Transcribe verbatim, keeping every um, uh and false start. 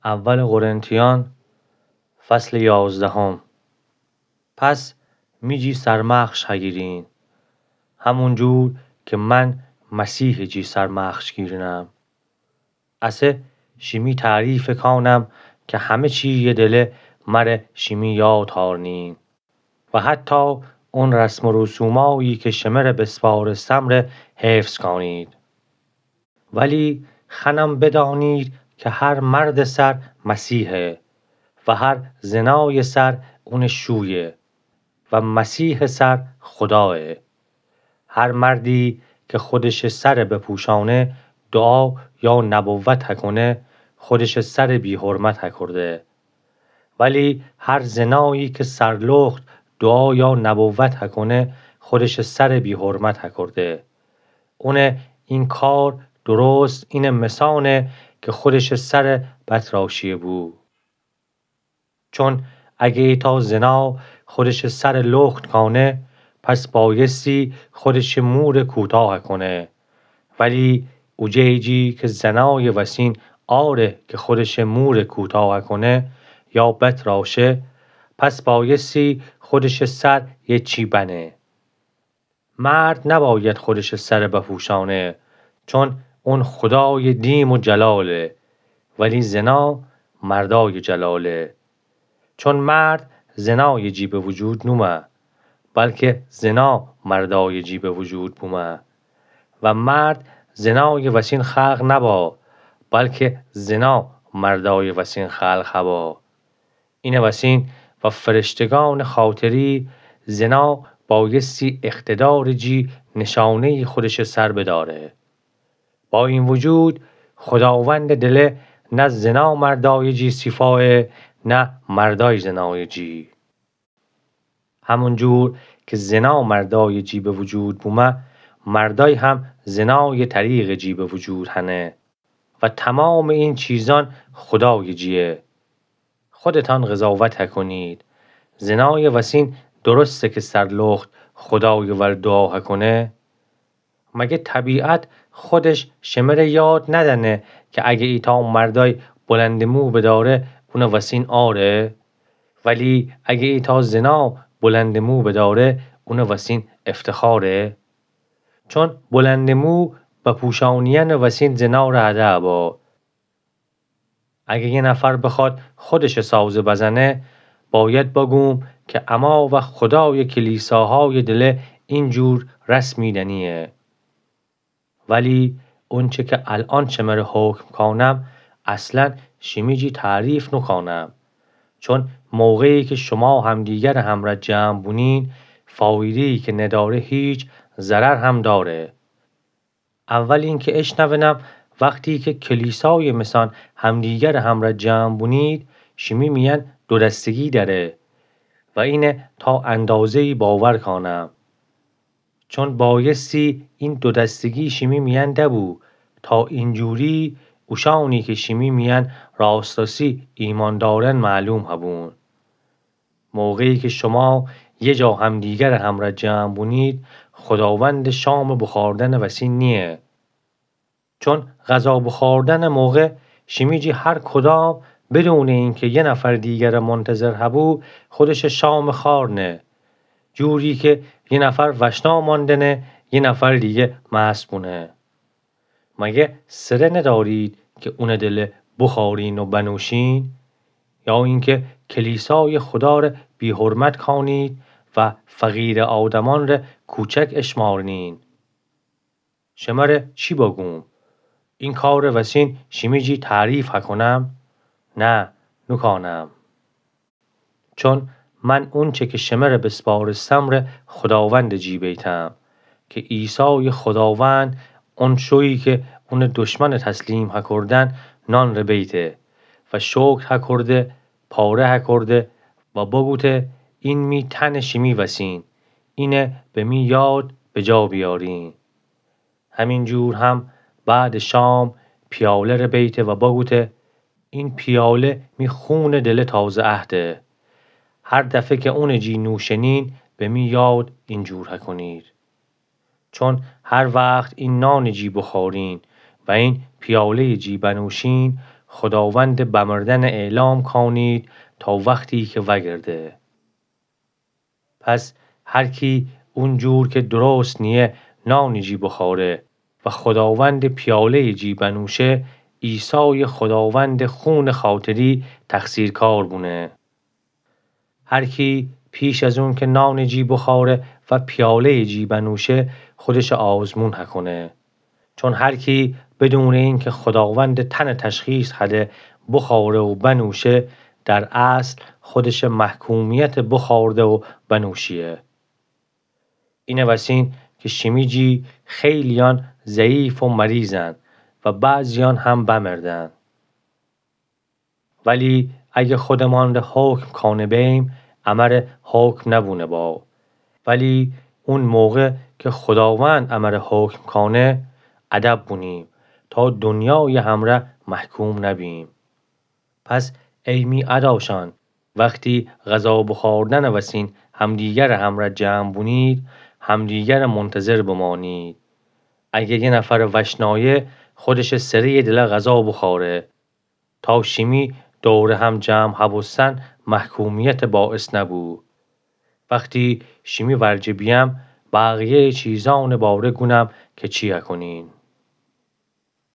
اول قرنتیان، فصل یازدهم. پس می جی سرمخش هگیرین، همون جور که من مسیح جی سرمخش گیرینم. اسه شیمی تعریف کانم که همه چی یه دله مره شیمی یاد هارنین. و حتی اون رسم و رسومایی که شمره بسپارستم ره حفظ کانید. ولی خنم بدانید که هر مرد سر مسیحه و هر زنای سر اون شویه و مسیح سر خدایه. هر مردی که خودش سر بپوشانه، دعا یا نبوت هکنه، خودش سر بی‌حرمت هکرده. ولی هر زنایی که سرلخت دعا یا نبوت هکنه، خودش سر بی‌حرمت هکرده. اونه این کار درست اینه مسانه که خودش سر بتراشیه بو. چون اگه ایتا زنا خودش سر لخت کانه، پس بایستی خودش مور کوتاه کنه. ولی اوجه‌یی جی که زنای وسین آره که خودش مور کوتاه کنه یا بتراشه، پس بایستی خودش سر یه چی بنه. مرد نباید خودش سر بپوشانه، چون اون خدای دیم و جلاله، ولی زنا مردای جلاله. چون مرد زنای جی به وجود نومه، بلکه زنا مردای جی به وجود بومه. و مرد زنای وسین خلق نبا، بلکه زنا مردای وسین خلق هبا. اینه وسین و فرشتگان خاطری زنا بایستی اقتدار جی نشانه‌ی خودش سر بداره. با این وجود خداوند دله نه زنا مردای جی صیفاه، نه مردای زنای جی. همون جور که زنا مردای جی به وجود بومه، مردای هم زنای طریق جی به وجود هنه و تمام این چیزان خدای جیه. خودتان قضاوت هکنید. زنای وسین درسته که سرلخت خدای ور دعا هکنه؟ مگه طبیعت خودش شمره یاد ندنه که اگه ایتا مردای بلند مو بداره، اونه وسین آره؟ ولی اگه ایتا زنا بلند مو بداره، اونه وسین افتخاره؟ چون بلند مو بپوشانیأن وسین زنا ره هده با. اگه یه نفر بخواد خودش سازه بزنه، باید بگوم که اما و خدای کلیساهای دله اینجور رسمی دنیه. ولی اونچه که الان شمره حکم کانم، اصلاً شیمی جی تعریف نوکانم. چون موقعی که شما همدیگر همره جمع بونین، فایده‌ای که نداره هیچ، ضرر هم داره. اول اینکه اشنونم وقتی که کلیسای مثان همدیگر همره جمع بونید، شیمی میان دودستگی داره و اینه تا اندازه‌ای باور کانم. چون بایستی این دودستگی شیمی میان دبو تا اینجوری اوشانی که شیمی میان راست‌راسی ایمان دارن معلوم هبون. موقعی که شما یه جا همدیگر همره جمع بونید، خداوند شام بخوردن وسین نیه. چون غذا بخوردن موقع شیمی جی هر کدام بدون اینکه یه نفر دیگر منتظر هبو، خودش شام خارنه. جوری که یه نفر وشنا ماندنه، یه نفر دیگه مست بونه. مگه سره ندارید که اونه دله بخورین و بنوشین؟ یا اینکه کلیسای خدا ره بی‌حرمت کانید و فقیر آدمان ره کوچک اشمارنین؟ شمره چی بگوم؟ این کار وسین شیمی جی تعریف هکنم؟ نه، نوکانم. چون من اونچه که شمره بسپارستم ره خداوند جی بیتم، که عیسای خداوند اون شویی که اون دشمن تسلیم هکردن نان ره بیته و شکر هکرده، پاره هکرده و بگوته: این می تن شیمی وسین، اینه به می یاد به جا بیارین. همین جور هم بعد شام پیاله ره بیته و بگوته: این پیاله می خون دل تازه عهده. هر دفعه که اون جی نوشنین، به می یاد این جور هکنید. چون هر وقت این نان جی بخورین و این پیاله جی بنوشین، خوداوندٚ بمردنٚ اعلام کانید تا وختی کی وأگرده. پس هر کی اونجور کی درست نییه نانٚ جی بوخوأره و خوداوندٚ پیاله‌یٚ جی بنوشه، عیسایٚ خوداوندٚ خونٚ خاطری تقصیرکار بونه. هر کی پیش از اونکه نانٚ جی بوخوأره و پیاله‌یٚ جی بنوشه، خودشٚ آزمون هکونه. چون هر کی بدونٚ اینکه خوداوندٚ تنٚ تشخیص هده بوخوأره و بنوشه، در اصل خودشٚ محکومیتٚ بوخوأرده و بنوشییه. اینه وسین کی شیمی جی خیلییأن ضعیف و مریضن و بعضییأن هم بمردن. ولی اگر خودمانٚ ره حکم کانه بیم، امره حکم نبونه با. ولی اون موقع کی خوداوند امره حکم کانه، ادب بونیم تا دونیایٚ همره محکوم نبیم. پس ای می اداشأن، وختی غذا بوخوردنٚ وسین همدیگرٚ همره جمع بونید، همدیگرٚ منتظر بمانید. اگر یه نفر وشنایه، خودشٚ سره‌یٚ دله غذا بوخوأره، تا شیمی دورٚ هم جمع هبوستن محکومیتٚ باعث نبو. وختی شیمی ورجه بییم، بقیه‌یٚ چیزأنٚ باره گونم کی چی هکونین.